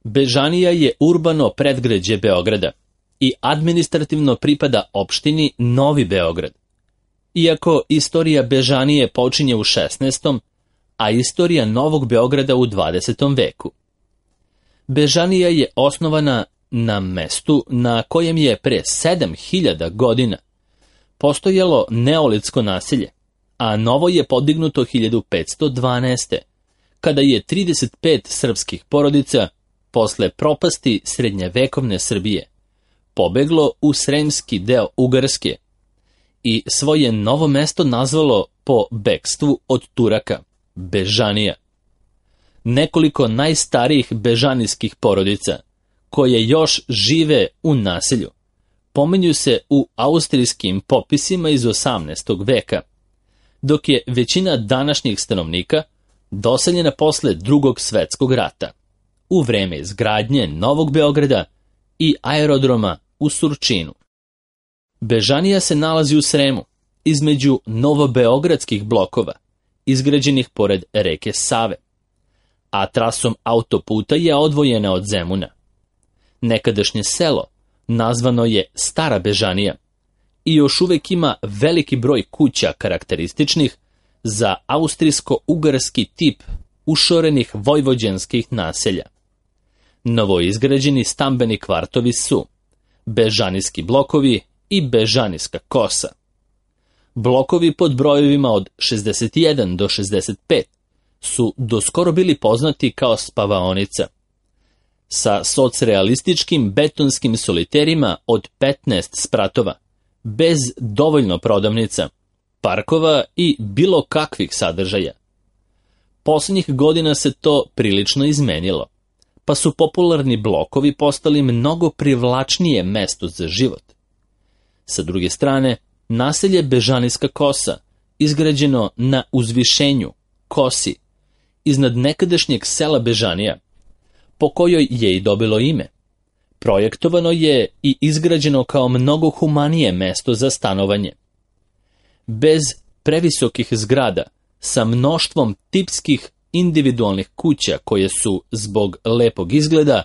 Bežanija je urbano predgrađe Beograda i administrativno pripada opštini Novi Beograd. Iako istorija Bežanije počinje u 16. a istorija Novog Beograda u 20. veku. Bežanija je osnovana na mestu na kojem je pre 7000 godina postojalo neolitsko naselje, a novo je podignuto 1512. kada je 35 srpskih porodica posle propasti srednjevekovne Srbije pobeglo u sremski deo Ugarske i svoje novo mesto nazvalo po bekstvu od Turaka, Bežanija. Nekoliko najstarijih bežanijskih porodica, koje još žive u naselju, pominju se u austrijskim popisima iz 18. veka, dok je većina današnjih stanovnika doseljena posle Drugog svetskog rata, u vreme izgradnje Novog Beograda i aerodroma u Surčinu. Bežanija se nalazi u Sremu, između novobeogradskih blokova, izgrađenih pored reke Save, a trasom autoputa je odvojena od Zemuna. Nekadašnje selo nazvano je Stara Bežanija i još uvek ima veliki broj kuća karakterističnih za austrijsko-ugarski tip ušorenih vojvođanskih naselja. Novoizgrađeni stambeni kvartovi su Bežanijski blokovi i Bežanijska kosa. Blokovi pod brojevima od 61 do 65 su doskoro bili poznati kao spavaonica, sa socrealističkim betonskim soliterima od 15 spratova, bez dovoljno prodavnica, parkova i bilo kakvih sadržaja. Poslednjih godina se to prilično izmenilo, pa su popularni blokovi postali mnogo privlačnije mesto za život. Sa druge strane, naselje Bežanijska kosa, izgrađeno na uzvišenju, kosi, iznad nekadašnjeg sela Bežanija, po kojoj je i dobilo ime, projektovano je i izgrađeno kao mnogo humanije mesto za stanovanje. Bez previsokih zgrada, sa mnoštvom tipskih individualnih kuća koje su, zbog lepog izgleda,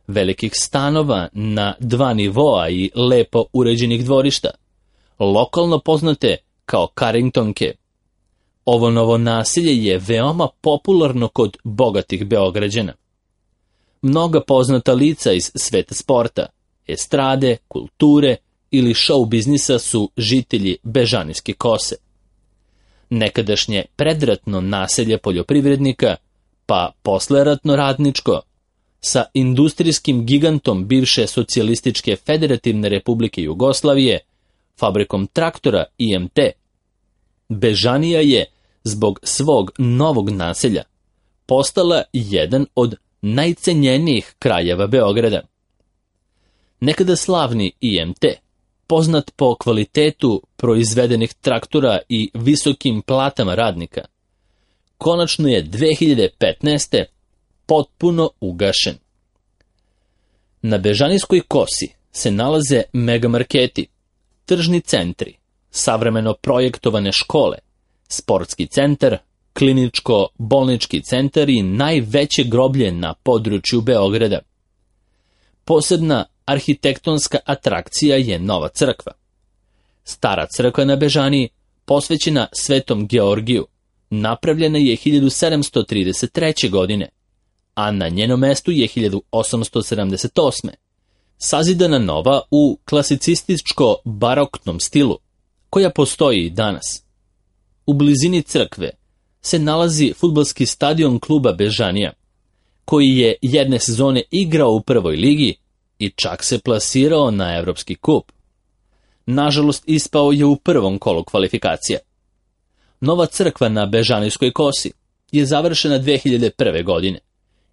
velikih stanova na 2 nivoa i lepo uređenih dvorišta, lokalno poznate kao Carringtonke. Ovo novo naselje je veoma popularno kod bogatih Beograđana. Mnoga poznata lica iz sveta sporta, estrade, kulture ili show biznisa su žitelji Bežanijske kose. Nekadašnje predratno naselje poljoprivrednika, pa posleratno radničko, sa industrijskim gigantom bivše socijalističke federativne republike Jugoslavije, fabrikom traktora IMT, Bežanija je, zbog svog novog naselja, postala jedan od najcenjenijih krajeva Beograda. Nekada slavni IMT, poznat po kvalitetu proizvedenih traktora i visokim platama radnika, konačno je 2015. potpuno ugašen. Na Bežanijskoj kosi se nalaze megamarketi, tržni centri, savremeno projektovane škole, sportski centar, kliničko-bolnički centar i najveće groblje na području Beograda. Posebna arhitektonska atrakcija je Nova crkva. Stara crkva na Bežaniji, posvećena Svetom Georgiju, napravljena je 1733. godine, a na njenom mestu je 1878. sazidana nova u klasicističko-baroknom stilu, koja postoji i danas. U blizini crkve se nalazi fudbalski stadion kluba Bežanija, koji je jedne sezone igrao u prvoj ligi i čak se plasirao na Evropski kup. Nažalost, ispao je u prvom kolu kvalifikacija. Nova crkva na Bežanijskoj kosi je završena 2001. godine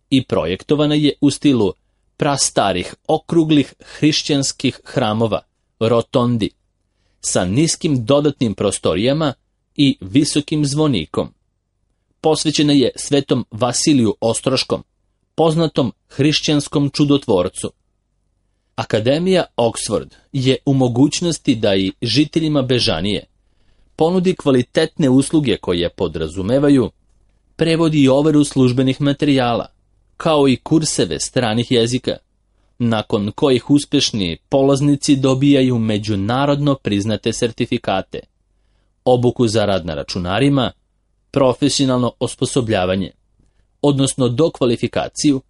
i projektovana je u stilu prastarih okruglih hrišćanskih hramova, rotondi, sa niskim dodatnim prostorijama i visokim zvonikom. Posvećena je Svetom Vasiliju Ostroškom, poznatom hrišćanskom čudotvorcu. Akademija Oxford je u mogućnosti da i žiteljima Bežanije ponudi kvalitetne usluge koje podrazumevaju prevod i overu službenih materijala, kao i kurseve stranih jezika, nakon kojih uspešni polaznici dobijaju međunarodno priznate sertifikate, obuku za rad na računarima, profesionalno osposobljavanje, odnosno dokvalifikaciju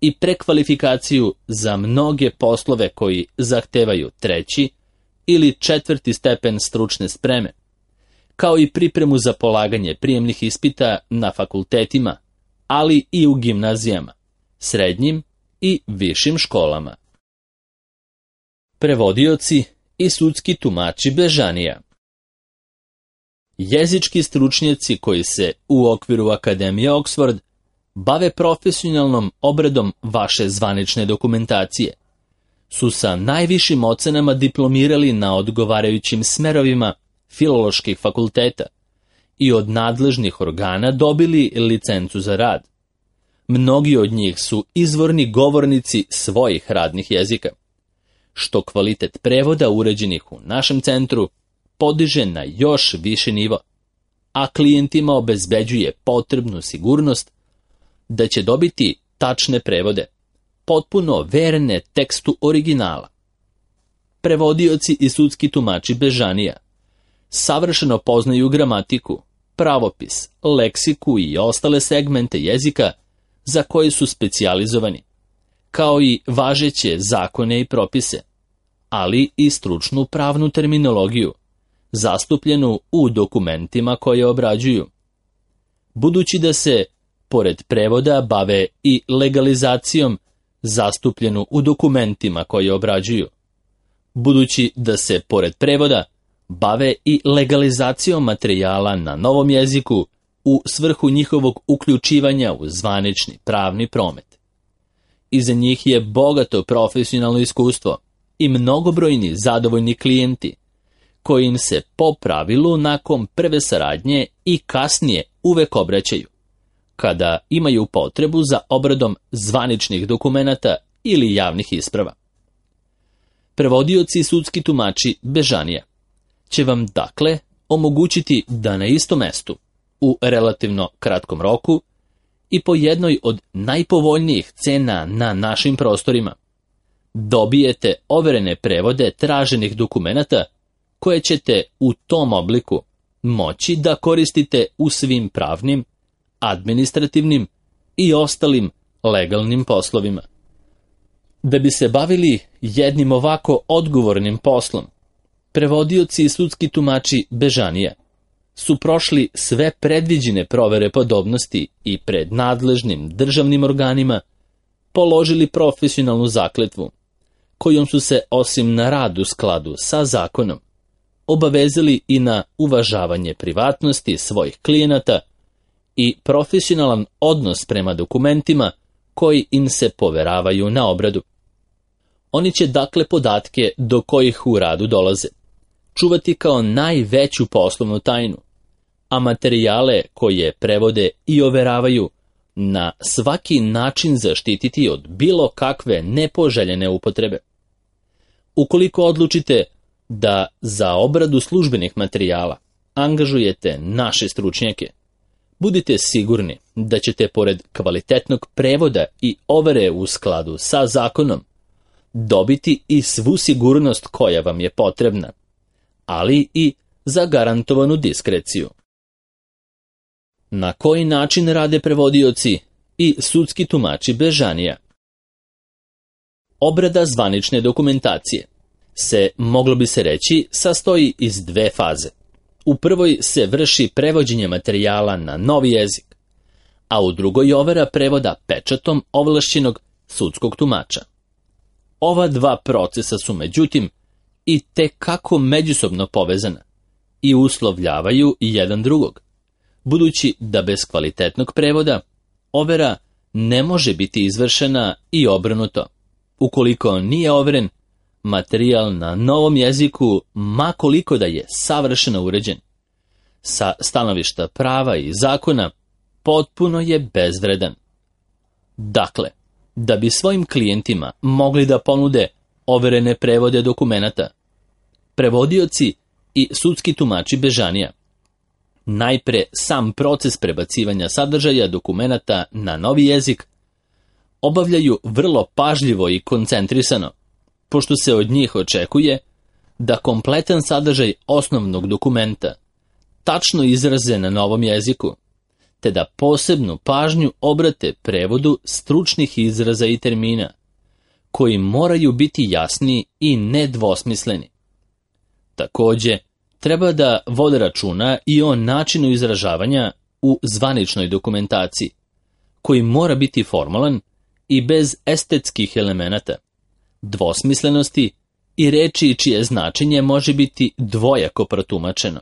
i prekvalifikaciju za mnoge poslove koji zahtevaju 3. ili 4. stepen stručne spreme, kao i pripremu za polaganje prijemnih ispita na fakultetima, ali i u gimnazijama, srednjim i višim školama. Prevodioci i sudski tumači bežanija. Jezički stručnjaci koji se u okviru Akademije Oxford bave profesionalnom obradom vaše zvanične dokumentacije su sa najvišim ocenama diplomirali na odgovarajućim smerovima filoloških fakulteta i od nadležnih organa dobili licencu za rad. Mnogi od njih su izvorni govornici svojih radnih jezika, što kvalitet prevoda uređenih u našem centru podiže na još više nivo, a klijentima obezbeđuje potrebnu sigurnost da će dobiti tačne prevode, potpuno verne tekstu originala. Prevodioci i sudski tumači bežanija savršeno poznaju gramatiku, pravopis, leksiku i ostale segmente jezika za koje su specijalizovani, kao i važeće zakone i propise, ali i stručnu pravnu terminologiju, zastupljenu u dokumentima koje obrađuju. Budući da se, pored prevoda, bave i legalizacijom, zastupljenu u dokumentima koje obrađuju. Budući da se, pored prevoda, bave i legalizacijom materijala na novom jeziku u svrhu njihovog uključivanja u zvanični pravni promet. Iza njih je bogato profesionalno iskustvo i mnogobrojni zadovoljni klijenti, koji im se po pravilu nakon prve saradnje i kasnije uvek obraćaju, kada imaju potrebu za obradom zvaničnih dokumenata ili javnih isprava. Prevodioci i sudski tumači bežanija će vam dakle omogućiti da na istom mestu, u relativno kratkom roku i po jednoj od najpovoljnijih cena na našim prostorima, dobijete overene prevode traženih dokumenata koje ćete u tom obliku moći da koristite u svim pravnim, administrativnim i ostalim legalnim poslovima. Da bi se bavili jednim ovako odgovornim poslom, prevodioci i sudski tumači bežanija su prošli sve predviđene provere podobnosti i pred nadležnim državnim organima položili profesionalnu zakletvu, kojom su se osim na rad u skladu sa zakonom obavezali i na uvažavanje privatnosti svojih klijenata i profesionalan odnos prema dokumentima koji im se poveravaju na obradu. Oni će dakle podatke do kojih u radu dolaze čuvati kao najveću poslovnu tajnu, a materijale koje prevode i overavaju na svaki način zaštititi od bilo kakve nepoželjene upotrebe. Ukoliko odlučite da za obradu službenih materijala angažujete naše stručnjake, budite sigurni da ćete pored kvalitetnog prevoda i overe u skladu sa zakonom dobiti i svu sigurnost koja vam je potrebna, ali i zagarantovanu diskreciju. Na koji način rade prevodioci i sudski tumači bežanija? Obrada zvanične dokumentacije se, moglo bi se reći, sastoji iz dve faze. U prvoj se vrši prevođenje materijala na novi jezik, a u drugoj overa prevoda pečatom ovlašćenog sudskog tumača. Ova dva procesa su, međutim, i tekako međusobno povezana i uslovljavaju jedan drugog, budući da bez kvalitetnog prevoda overa ne može biti izvršena i obrnuto. Ukoliko nije overen, materijal na novom jeziku, ma koliko da je savršeno uređen, sa stanovišta prava i zakona, potpuno je bezvredan. Dakle, da bi svojim klijentima mogli da ponude overene prevode dokumenata, prevodioci i sudski tumači bežanija najpre sam proces prebacivanja sadržaja dokumenata na novi jezik obavljaju vrlo pažljivo i koncentrisano, pošto se od njih očekuje da kompletan sadržaj osnovnog dokumenta tačno izraze na novom jeziku, te da posebnu pažnju obrate prevodu stručnih izraza i termina, koji moraju biti jasni i nedvosmisleni. Takođe, treba da vode računa i o načinu izražavanja u zvaničnoj dokumentaciji, koji mora biti formalan i bez estetskih elemenata, dvosmislenosti i reči čije značenje može biti dvojako protumačeno.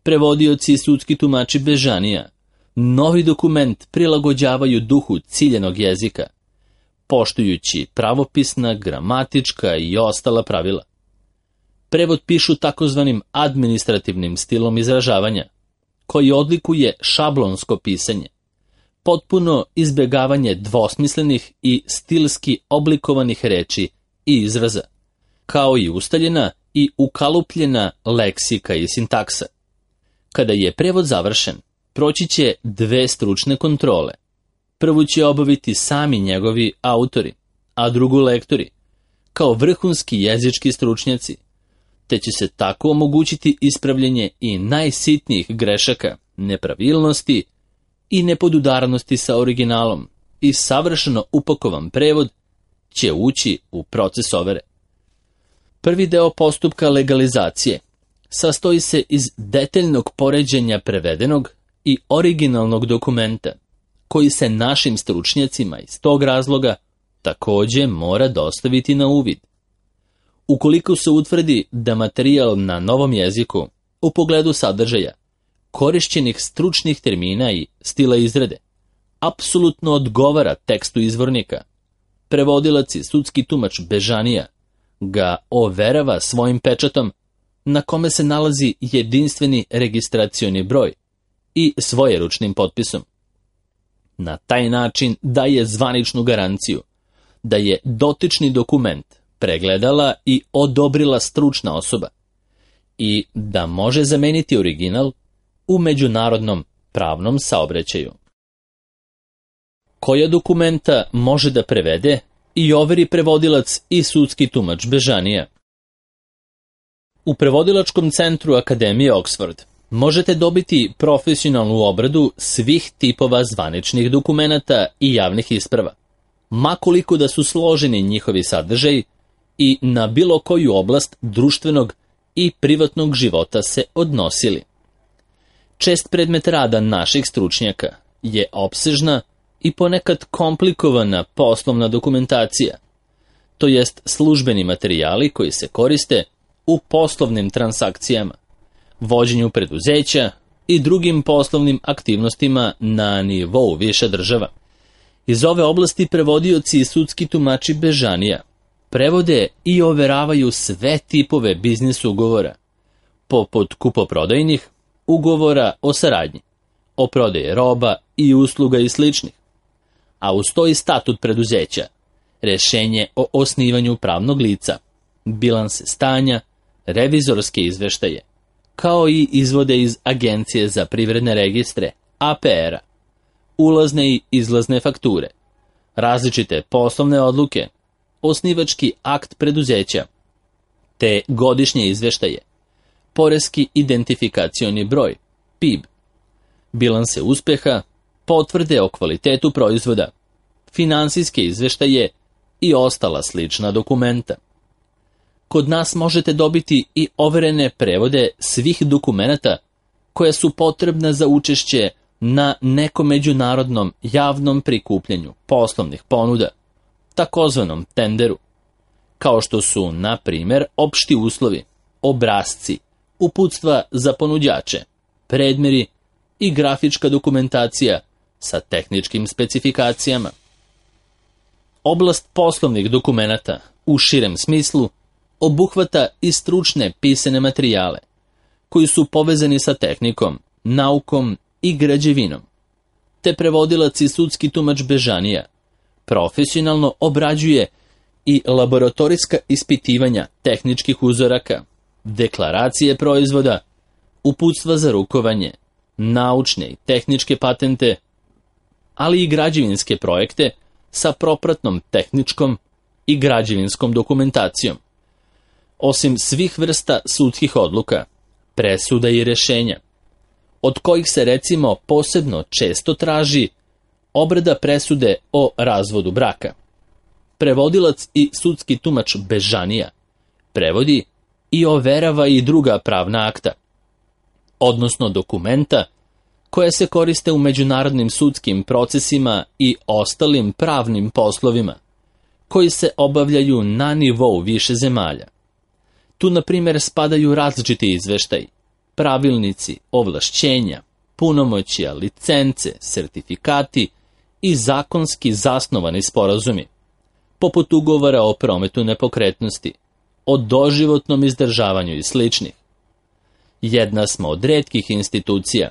Prevodioci i sudski tumači Bežanija novi dokument prilagođavaju duhu ciljenog jezika, poštujući pravopisna, gramatička i ostala pravila. Prevod pišu takozvanim administrativnim stilom izražavanja, koji odlikuje šablonsko pisanje, potpuno izbjegavanje dvosmislenih i stilski oblikovanih reči i izraza, kao i ustaljena i ukalupljena leksika i sintaksa. Kada je prevod završen, proći će 2 stručne kontrole. Prvu će obaviti sami njegovi autori, a drugu lektori, kao vrhunski jezički stručnjaci, te će se tako omogućiti ispravljanje i najsitnijih grešaka, nepravilnosti i nepodudarnosti sa originalom, i savršeno upakovan prevod će ući u proces overe. Prvi deo postupka legalizacije sastoji se iz detaljnog poređenja prevedenog i originalnog dokumenta, koji se našim stručnjacima iz tog razloga takođe mora dostaviti na uvid. Ukoliko se utvrdi da materijal na novom jeziku u pogledu sadržaja, korišćenih stručnih termina i stila izrade, apsolutno odgovara tekstu izvornika, prevodilac i sudski tumač Bežanija ga overava svojim pečatom, na kome se nalazi jedinstveni registracioni broj i svojeručnim potpisom. Na taj način daje zvaničnu garanciju da je dotični dokument pregledala i odobrila stručna osoba i da može zameniti original u međunarodnom pravnom saobraćaju. Koja dokumenta može da prevede i overi prevodilac i sudski tumač Bežanija? U prevodilačkom centru Akademije Oxford možete dobiti profesionalnu obradu svih tipova zvaničnih dokumenata i javnih isprava, makoliko da su složeni njihovi sadržaji i na bilo koju oblast društvenog i privatnog života se odnosili. Čest predmet rada naših stručnjaka je opsežna i ponekad komplikovana poslovna dokumentacija, to jest službeni materijali koji se koriste u poslovnim transakcijama, vođenju preduzeća i drugim poslovnim aktivnostima na nivou više država. Iz ove oblasti prevodioci i sudski tumači Bežanija prevode i overavaju sve tipove biznis ugovora, poput kupoprodajnih, ugovora o saradnji, o prodaji roba i usluga i sličnih, a uz to i statut preduzeća, rešenje o osnivanju pravnog lica, bilanse stanja, revizorske izveštaje, kao i izvode iz Agencije za privredne registre, APR-a, ulazne i izlazne fakture, različite poslovne odluke, osnivački akt preduzeća, te godišnje izveštaje, poreski identifikacioni broj, PIB, bilanse uspeha, potvrde o kvalitetu proizvoda, finansijske izveštaje i ostala slična dokumenta. Kod nas možete dobiti i overene prevode svih dokumenata koja su potrebna za učešće na nekom međunarodnom javnom prikupljanju poslovnih ponuda, takozvanom tenderu, kao što su, na primjer, opšti uslovi, obrasci, uputstva za ponuđače, predmeri i grafička dokumentacija sa tehničkim specifikacijama. Oblast poslovnih dokumenata u širem smislu obuhvata i stručne pisane materijale, koji su povezani sa tehnikom, naukom i građevinom, te prevodilac i sudski tumač Bežanija profesionalno obrađuje i laboratorijska ispitivanja tehničkih uzoraka, deklaracije proizvoda, uputstva za rukovanje, naučne i tehničke patente, ali i građevinske projekte sa propratnom tehničkom i građevinskom dokumentacijom. Osim svih vrsta sudskih odluka, presuda i rješenja, od kojih se recimo posebno često traži obrada presude o razvodu braka. Prevodilac i sudski tumač bežanija prevodi i overava i druga pravna akta, odnosno dokumenta koje se koriste u međunarodnim sudskim procesima i ostalim pravnim poslovima, koji se obavljaju na nivou više zemalja. Tu, na primjer, spadaju različiti izveštaji, pravilnici, ovlašćenja, punomoćja, licence, sertifikati i zakonski zasnovani sporazumi, poput ugovora o prometu nepokretnosti, o doživotnom izdržavanju i sličnih. Jedna smo od retkih institucija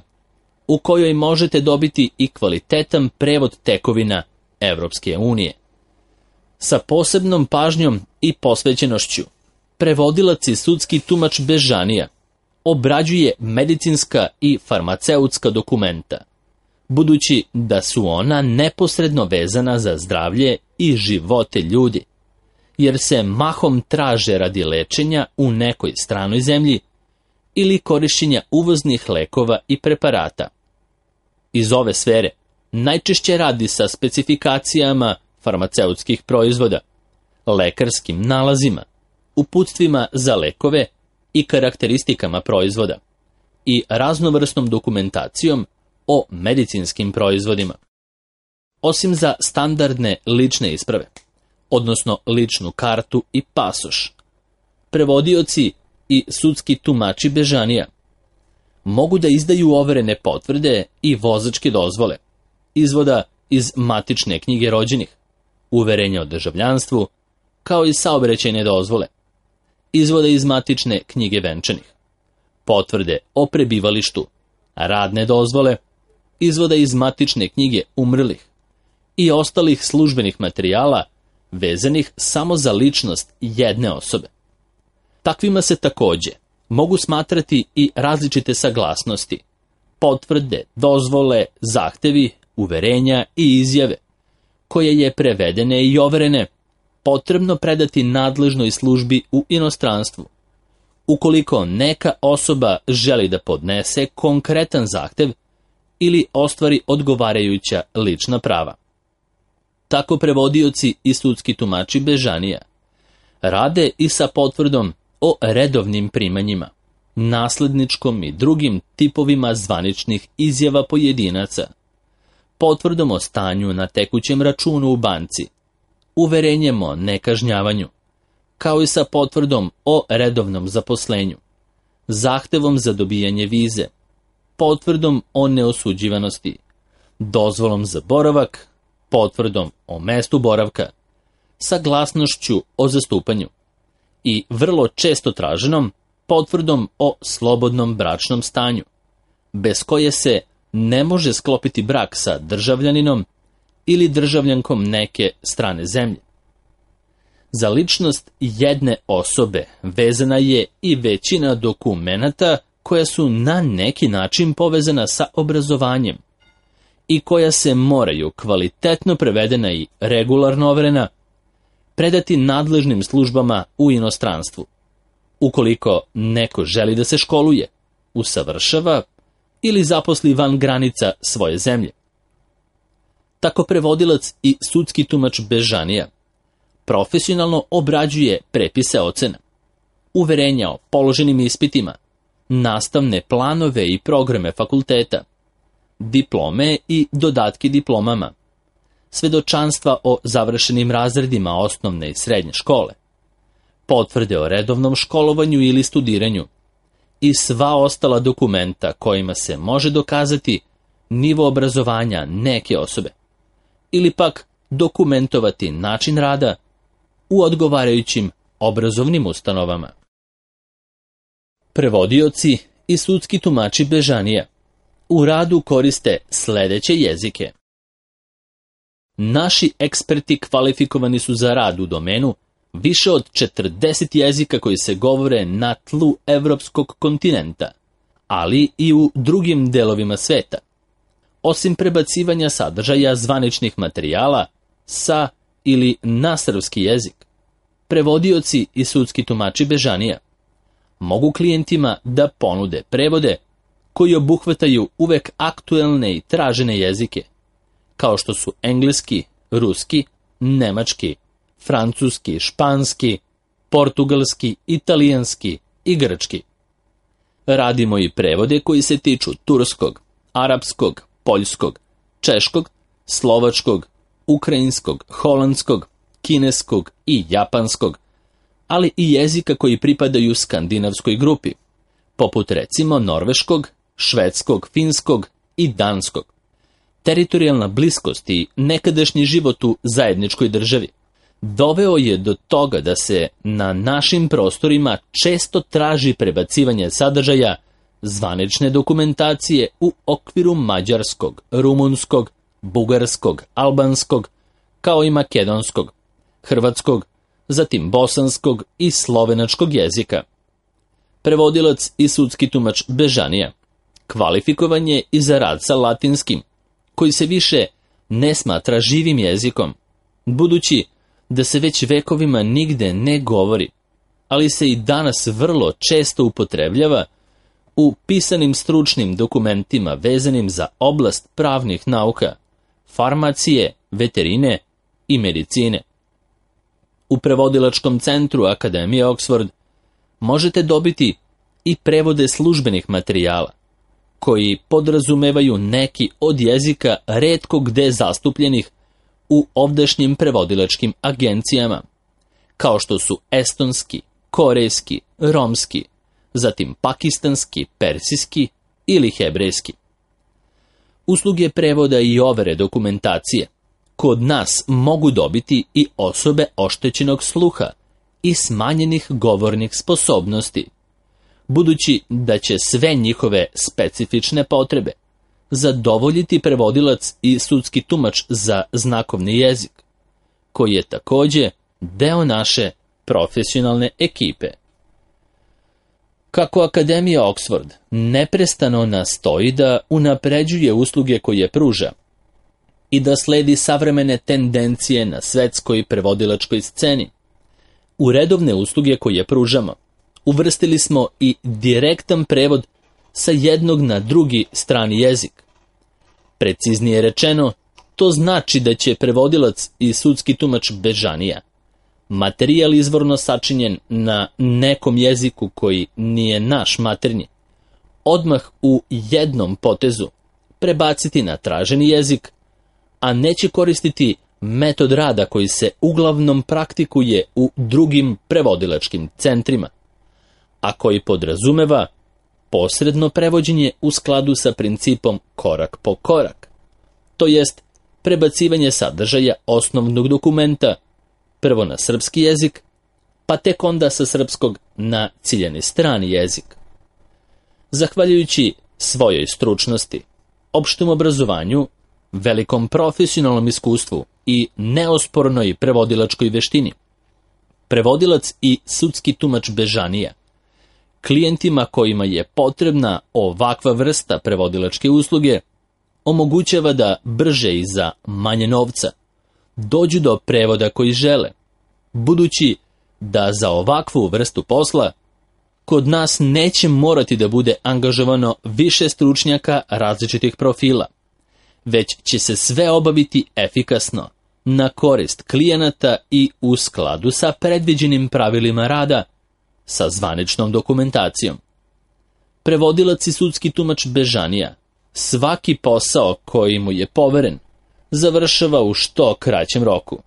u kojoj možete dobiti i kvalitetan prevod tekovina Evropske unije. Sa posebnom pažnjom i posvećenošću, prevodilac i sudski tumač bežanija obrađuje medicinska i farmaceutska dokumenta, budući da su ona neposredno vezana za zdravlje i živote ljudi, jer se mahom traže radi lečenja u nekoj stranoj zemlji ili korišćenja uvoznih lekova i preparata. Iz ove sfere najčešće radi sa specifikacijama farmaceutskih proizvoda, lekarskim nalazima, uputstvima za lekove i karakteristikama proizvoda i raznovrsnom dokumentacijom o medicinskim proizvodima. Osim za standardne lične isprave, odnosno ličnu kartu i pasoš, prevodioci i sudski tumači bežanija mogu da izdaju overene potvrde i vozačke dozvole, izvoda iz matične knjige rođenih, uverenja o državljanstvu, kao i saobraćajne dozvole, izvoda iz matične knjige venčanih, potvrde o prebivalištu, radne dozvole, izvoda iz matične knjige umrlih i ostalih službenih materijala vezanih samo za ličnost jedne osobe. Takvima se takođe mogu smatrati i različite saglasnosti, potvrde, dozvole, zahtevi, uverenja i izjave, koje je prevedene i overene potrebno predati nadležnoj službi u inostranstvu, ukoliko neka osoba želi da podnese konkretan zahtev ili ostvari odgovarajuća lična prava. Tako prevodioci i sudski tumači bežanija rade i sa potvrdom o redovnim primanjima, nasledničkom i drugim tipovima zvaničnih izjava pojedinaca, potvrdom o stanju na tekućem računu u banci, uverenjem o nekažnjavanju, kao i sa potvrdom o redovnom zaposlenju, zahtevom za dobijanje vize, potvrdom o neosuđivanosti, dozvolom za boravak, potvrdom o mestu boravka, saglasnošću o zastupanju i vrlo često traženom potvrdom o slobodnom bračnom stanju, bez koje se ne može sklopiti brak sa državljaninom ili državljankom neke strane zemlje. Za ličnost jedne osobe vezana je i većina dokumenata koja su na neki način povezana sa obrazovanjem i koja se moraju kvalitetno prevedena i regularno overena predati nadležnim službama u inostranstvu, ukoliko neko želi da se školuje, usavršava ili zaposli van granica svoje zemlje. Tako prevodilac i sudski tumač bežanija profesionalno obrađuje prepise ocena, uverenja o položenim ispitima, nastavne planove i programe fakulteta, diplome i dodatke diplomama, svedočanstva o završenim razredima osnovne i srednje škole, potvrde o redovnom školovanju ili studiranju i sva ostala dokumenta kojima se može dokazati nivo obrazovanja neke osobe ili pak dokumentovati način rada u odgovarajućim obrazovnim ustanovama. Prevodioci i sudski tumači bežanija u radu koriste sledeće jezike. Naši eksperti kvalifikovani su za rad u domenu više od 40 jezika koji se govore na tlu evropskog kontinenta, ali i u drugim delovima sveta. Osim prebacivanja sadržaja zvaničnih materijala, sa ili na srpski jezik. Prevodioci i sudski tumači bežanija mogu klijentima da ponude prevode koji obuhvataju uvek aktuelne i tražene jezike, kao što su engleski, ruski, nemački, francuski, španski, portugalski, italijanski i grčki. Radimo i prevode koji se tiču turskog, arapskog, poljskog, češkog, slovačkog, ukrajinskog, holandskog, kineskog i japanskog, ali i jezika koji pripadaju skandinavskoj grupi, poput recimo norveškog, švedskog, finskog i danskog. Teritorijalna bliskost i nekadašnji život u zajedničkoj državi doveo je do toga da se na našim prostorima često traži prebacivanje sadržaja zvanične dokumentacije u okviru mađarskog, rumunskog, bugarskog, albanskog, kao i makedonskog, hrvatskog, zatim bosanskog i slovenačkog jezika. Prevodilac i sudski tumač bežanija kvalifikovan je i za rad sa latinskim, koji se više ne smatra živim jezikom, budući da se već vekovima nigde ne govori, ali se i danas vrlo često upotrebljava u pisanim stručnim dokumentima vezanim za oblast pravnih nauka, farmacije, veterine i medicine. U prevodilačkom centru Akademije Oxford možete dobiti i prevode službenih materijala, koji podrazumevaju neki od jezika retko gde zastupljenih u ovdašnjim prevodilačkim agencijama, kao što su estonski, korejski, romski, zatim pakistanski, persijski ili hebrejski. Usluge prevoda i overe dokumentacije kod nas mogu dobiti i osobe oštećenog sluha i smanjenih govornih sposobnosti, budući da će sve njihove specifične potrebe zadovoljiti prevodilac i sudski tumač za znakovni jezik, koji je takođe deo naše profesionalne ekipe. Kako Akademija Oxford neprestano nastoji da unapređuje usluge koje pruža i da sledi savremene tendencije na svetskoj prevodilačkoj sceni, u redovne usluge koje pružamo uvrstili smo i direktan prevod sa jednog na drugi strani jezik. Preciznije rečeno, to znači da će prevodilac i sudski tumač bežanija materijal izvorno sačinjen na nekom jeziku koji nije naš maternji, odmah u jednom potezu prebaciti na traženi jezik, a neće koristiti metod rada koji se uglavnom praktikuje u drugim prevodilačkim centrima, a koji podrazumeva posredno prevođenje u skladu sa principom korak po korak, to jest prebacivanje sadržaja osnovnog dokumenta prvo na srpski jezik, pa tek onda sa srpskog na ciljani strani jezik. Zahvaljujući svojoj stručnosti, opštem obrazovanju, velikom profesionalnom iskustvu i neospornoj prevodilačkoj veštini, prevodilac i sudski tumač bežanija klijentima kojima je potrebna ovakva vrsta prevodilačke usluge omogućava da brže i za manje novca dođu do prevoda koji žele, budući da za ovakvu vrstu posla kod nas neće morati da bude angažovano više stručnjaka različitih profila, već će se sve obaviti efikasno, na korist klijenata i u skladu sa predviđenim pravilima rada, sa zvaničnom dokumentacijom. Prevodilac i sudski tumač bežanija svaki posao koji mu je poveren završava u što kraćem roku.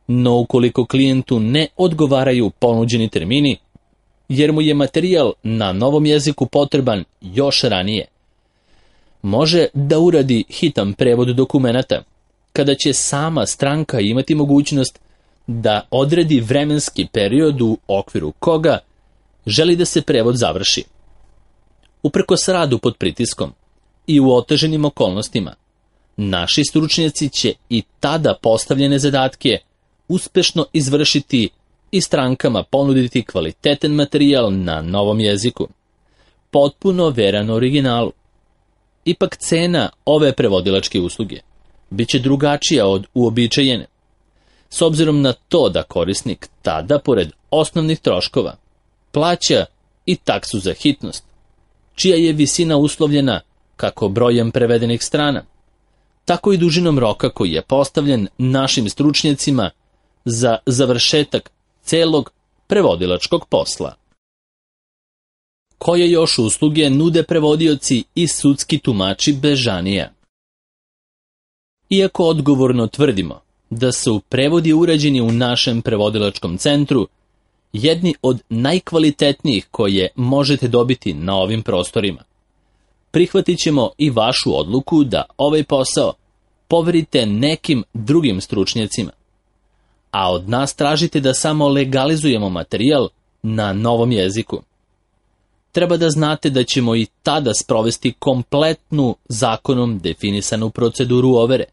No ukoliko klijentu ne odgovaraju ponuđeni termini, jer mu je materijal na novom jeziku potreban još ranije, može da uradi hitan prevod dokumenata, kada će sama stranka imati mogućnost da odredi vremenski period u okviru koga želi da se prevod završi. Uprkos radu pod pritiskom i u oteženim okolnostima, naši stručnjaci će i tada postavljene zadatke uspešno izvršiti i strankama ponuditi kvalitetan materijal na novom jeziku, potpuno veran originalu. Ipak cena ove prevodilačke usluge biće drugačija od uobičajene, s obzirom na to da korisnik tada, pored osnovnih troškova, plaća i taksu za hitnost, čija je visina uslovljena kako brojem prevedenih strana, tako i dužinom roka koji je postavljen našim stručnjacima za završetak celog prevodilačkog posla. Koje još usluge nude prevodioci i sudski tumači Bežanija? Iako odgovorno tvrdimo da su prevodi urađeni u našem prevodilačkom centru jedni od najkvalitetnijih koje možete dobiti na ovim prostorima, prihvatit ćemo i vašu odluku da ovaj posao poverite nekim drugim stručnjacima, a od nas tražite da samo legalizujemo materijal na novom jeziku. Treba da znate da ćemo i tada sprovesti kompletnu zakonom definisanu proceduru overe,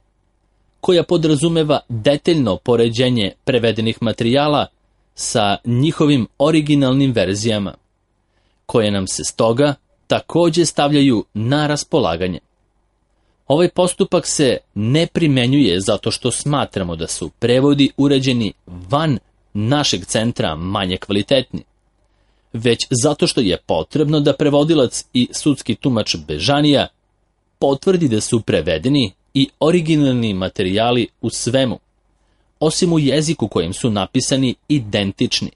koja podrazumeva detaljno poređenje prevedenih materijala sa njihovim originalnim verzijama, koje nam se stoga takođe stavljaju na raspolaganje. Ovaj postupak se ne primenjuje zato što smatramo da su prevodi urađeni van našeg centra manje kvalitetni, već zato što je potrebno da prevodilac i sudski tumač Bežanija potvrdi da su prevedeni i originalni materijali u svemu, osim u jeziku kojim su napisani, identični,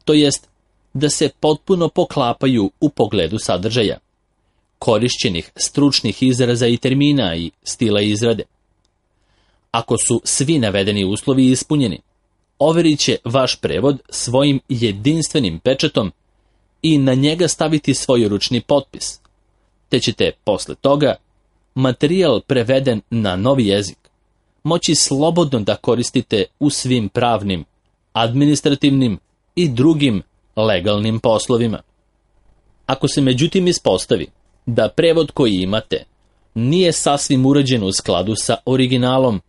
to jest da se potpuno poklapaju u pogledu sadržaja, korišćenih stručnih izraza i termina i stila izrade. Ako su svi navedeni uslovi ispunjeni, overit će vaš prevod svojim jedinstvenim pečatom i na njega staviti svoj ručni potpis, te ćete posle toga materijal preveden na novi jezik moći slobodno da koristite u svim pravnim, administrativnim i drugim legalnim poslovima. Ako se međutim ispostavi da prevod koji imate nije sasvim urađen u skladu sa originalom,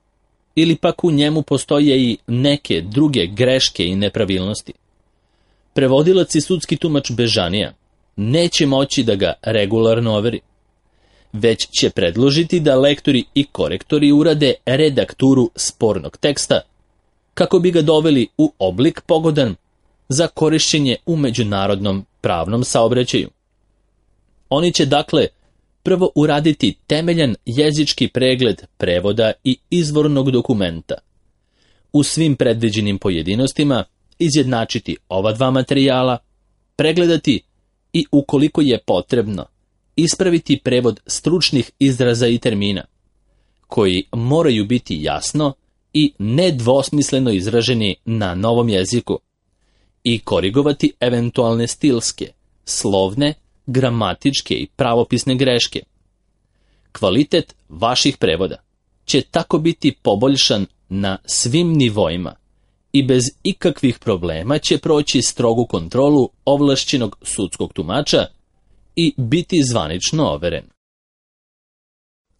ili pak u njemu postoje i neke druge greške i nepravilnosti, prevodilac i sudski tumač Bežanija neće moći da ga regularno overi, već će predložiti da lektori i korektori urade redakturu spornog teksta kako bi ga doveli u oblik pogodan za korišćenje u međunarodnom pravnom saobraćaju. Oni će dakle prvo uraditi temeljan jezički pregled prevoda i izvornog dokumenta, u svim predviđenim pojedinostima izjednačiti ova dva materijala, pregledati i ukoliko je potrebno ispraviti prevod stručnih izraza i termina, koji moraju biti jasno i nedvosmisleno izraženi na novom jeziku, i korigovati eventualne stilske, slovne, gramatičke i pravopisne greške. Kvalitet vaših prevoda će tako biti poboljšan na svim nivoima i bez ikakvih problema će proći strogu kontrolu ovlašćenog sudskog tumača i biti zvanično overen.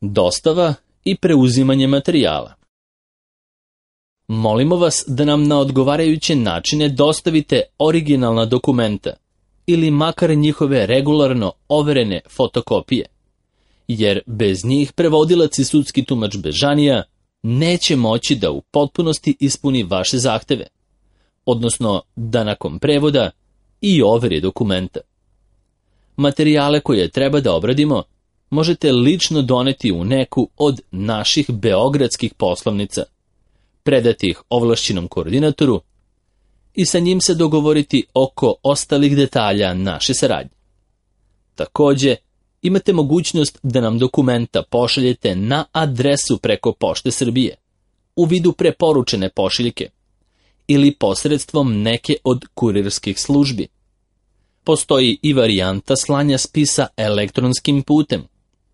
Dostava i preuzimanje materijala. Molimo vas da nam na odgovarajuće načine dostavite originalna dokumenta ili makar njihove regularno overene fotokopije, jer bez njih prevodilac i sudski tumač Bežanija neće moći da u potpunosti ispuni vaše zahteve, odnosno da nakon prevoda i overi dokumenta. Materijale koje treba da obradimo možete lično doneti u neku od naših beogradskih poslovnica, predati ih ovlašćenom koordinatoru i sa njim se dogovoriti oko ostalih detalja naše saradnje. Takođe, imate mogućnost da nam dokumenta pošaljete na adresu preko Pošte Srbije, u vidu preporučene pošiljke, ili posredstvom neke od kurirskih službi. Postoji i varijanta slanja spisa elektronskim putem,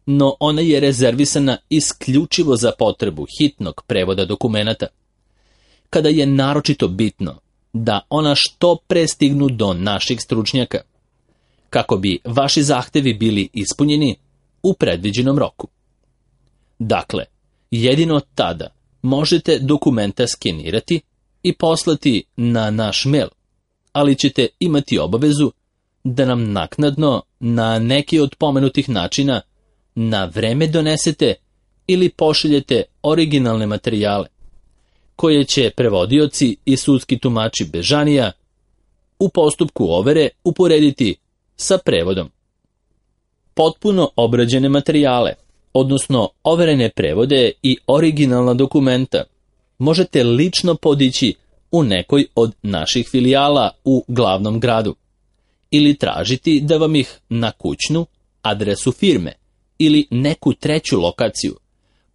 no ona je rezervisana isključivo za potrebu hitnog prevoda dokumenata, kada je naročito bitno da ona što pre stignu do naših stručnjaka, kako bi vaši zahtevi bili ispunjeni u predviđenom roku. Dakle, jedino tada možete dokumenta skenirati i poslati na naš mail, ali ćete imati obavezu da nam naknadno na neki od pomenutih načina na vreme donesete ili pošaljete originalne materijale, koje će prevodioci i sudski tumači Bežanija u postupku overe uporediti sa prevodom. Potpuno obrađene materijale, odnosno overene prevode i originalna dokumenta, možete lično podići u nekoj od naših filijala u glavnom gradu ili tražiti da vam ih na kućnu adresu firme ili neku treću lokaciju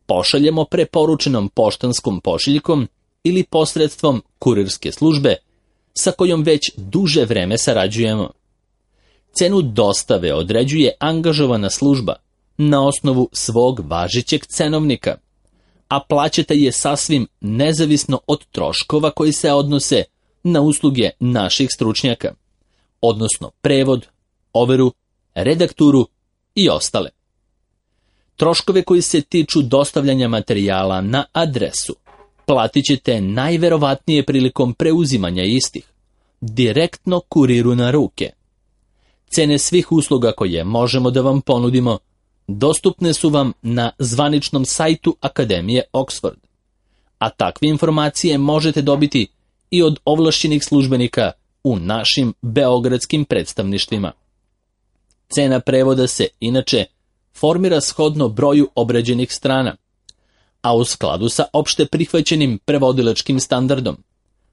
pošaljemo preporučenom poštanskom pošiljkom ili posredstvom kurirske službe sa kojom već duže vreme sarađujemo. Cenu dostave određuje angažovana služba na osnovu svog važećeg cenovnika, a plaćate je sasvim nezavisno od troškova koji se odnose na usluge naših stručnjaka, odnosno prevod, overu, redakturu i ostale. Troškove koji se tiču dostavljanja materijala na adresu platit ćete najverovatnije prilikom preuzimanja istih, direktno kuriru na ruke. Cene svih usluga koje možemo da vam ponudimo dostupne su vam na zvaničnom sajtu Akademije Oxford, a takve informacije možete dobiti i od ovlašćenih službenika u našim beogradskim predstavništvima. Cena prevoda se, inače, formira shodno broju obrađenih strana, a u skladu sa opšte prihvaćenim prevodilačkim standardom.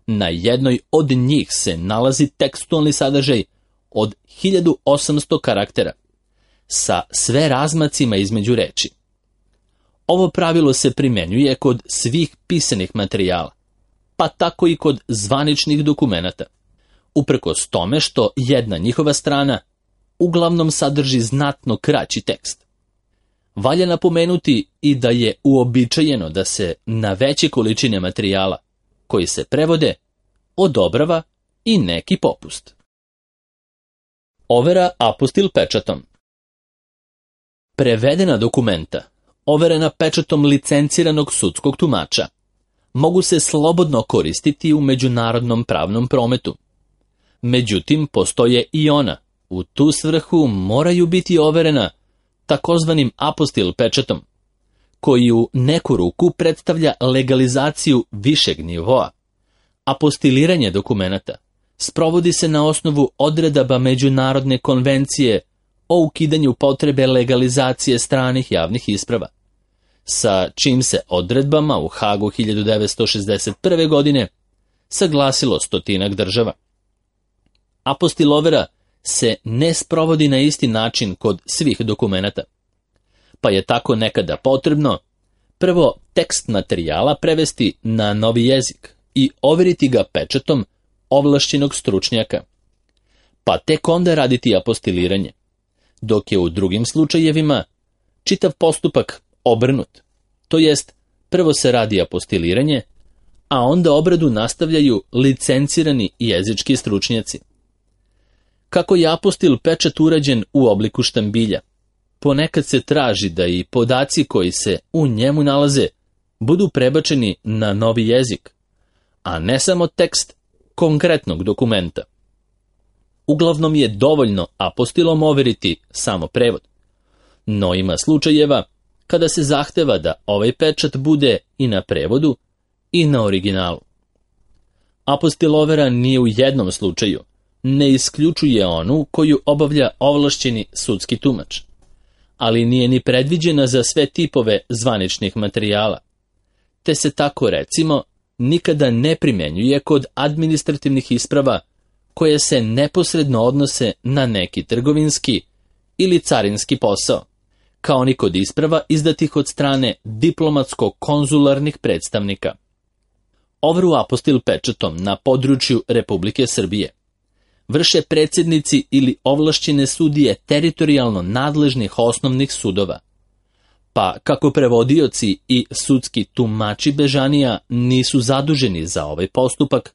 Na jednoj od njih se nalazi tekstualni sadržaj od 1800 karaktera, sa sve razmacima između reči. Ovo pravilo se primenjuje kod svih pisanih materijala, pa tako i kod zvaničnih dokumenata, uprkos tome što jedna njihova strana uglavnom sadrži znatno kraći tekst. Valja napomenuti i da je uobičajeno da se na veće količine materijala, koji se prevode, odobrava i neki popust. Overa apostil pečatom. Prevedena dokumenta, overena pečatom licenciranog sudskog tumača, mogu se slobodno koristiti u međunarodnom pravnom prometu. Međutim, postoje i ona, u tu svrhu moraju biti overena takozvanim apostil pečatom, koji u neku ruku predstavlja legalizaciju višeg nivoa. Apostiliranje dokumenata sprovodi se na osnovu odredaba Međunarodne konvencije o ukidanju potrebe legalizacije stranih javnih isprava, sa čim se odredbama u Hagu 1961. godine saglasilo 100 država. Apostil overa se ne sprovodi na isti način kod svih dokumenata, pa je tako nekada potrebno prvo tekst materijala prevesti na novi jezik i overiti ga pečatom ovlašćenog stručnjaka, pa tek onda raditi apostiliranje, dok je u drugim slučajevima čitav postupak obrnut, to jest prvo se radi apostiliranje, a onda obradu nastavljaju licencirani jezički stručnjaci. Kako je apostil pečat urađen u obliku štambilja, ponekad se traži da i podaci koji se u njemu nalaze budu prebačeni na novi jezik, a ne samo tekst konkretnog dokumenta. Uglavnom je dovoljno apostilom overiti samo prevod, no ima slučajeva kada se zahteva da ovaj pečat bude i na prevodu i na originalu. Apostil overa nije u jednom slučaju, ne isključuje onu koju obavlja ovlašćeni sudski tumač, ali nije ni predviđena za sve tipove zvaničnih materijala, te se tako, recimo, nikada ne primjenjuje kod administrativnih isprava koje se neposredno odnose na neki trgovinski ili carinski posao, kao ni kod isprava izdatih od strane diplomatsko-konzularnih predstavnika. Overu apostil pečatom na području Republike Srbije vrše predsjednici ili ovlašćene sudije teritorijalno nadležnih osnovnih sudova, pa kako prevodioci i sudski tumači Bežanija nisu zaduženi za ovaj postupak,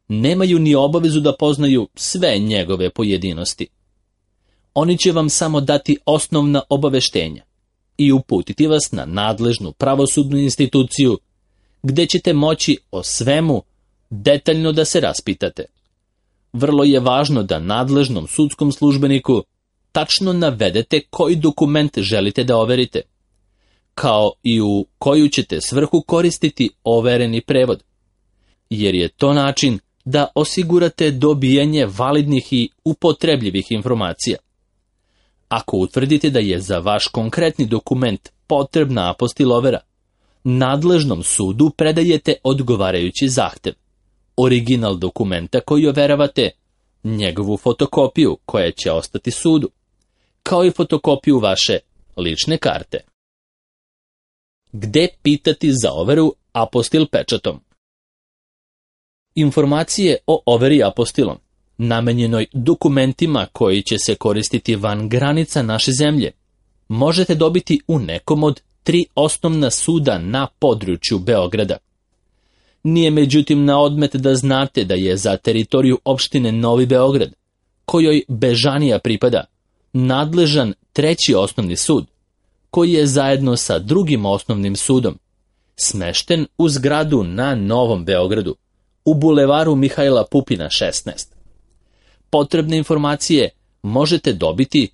nemaju ni obavezu da poznaju sve njegove pojedinosti. Oni će vam samo dati osnovna obaveštenja i uputiti vas na nadležnu pravosudnu instituciju, gde ćete moći o svemu detaljno da se raspitate. Vrlo je važno da nadležnom sudskom službeniku tačno navedete koji dokument želite da overite, kao i u koju ćete svrhu koristiti overeni prevod, jer je to način da osigurate dobijanje validnih i upotrebljivih informacija. Ako utvrdite da je za vaš konkretni dokument potrebna apostil overa, nadležnom sudu predajete odgovarajući zahtev, original dokumenta koji overavate, njegovu fotokopiju koja će ostati sudu, kao i fotokopiju vaše lične karte. Gde pitati za overu apostil pečatom? Informacije o overi apostilom, namenjenoj dokumentima koji će se koristiti van granica naše zemlje, možete dobiti u nekom od 3 osnovna suda na području Beograda. Nije međutim na odmet da znate da je za teritoriju opštine Novi Beograd, kojoj Bežanija pripada, nadležan 3. osnovni sud, koji je zajedno sa 2. osnovnim sudom smešten u zgradu na Novom Beogradu, u bulevaru Mihajla Pupina 16. Potrebne informacije možete dobiti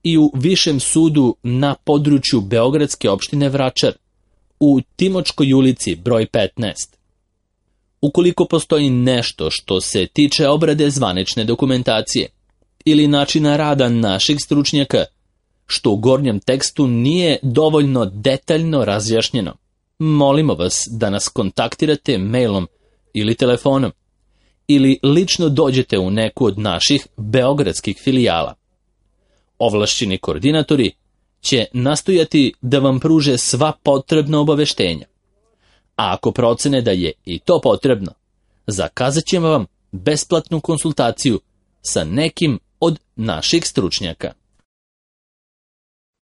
i u Višem sudu na području Beogradske opštine Vračar, u Timočkoj ulici broj 15. Ukoliko postoji nešto što se tiče obrade zvanične dokumentacije ili načina rada naših stručnjaka, što u gornjem tekstu nije dovoljno detaljno razjašnjeno, molimo vas da nas kontaktirate mailom ili telefonom, ili lično dođete u neku od naših beogradskih filijala. Ovlašćeni koordinatori će nastojati da vam pruže sva potrebna obaveštenja. A ako procene da je i to potrebno, zakazat ćemo vam besplatnu konsultaciju sa nekim od naših stručnjaka.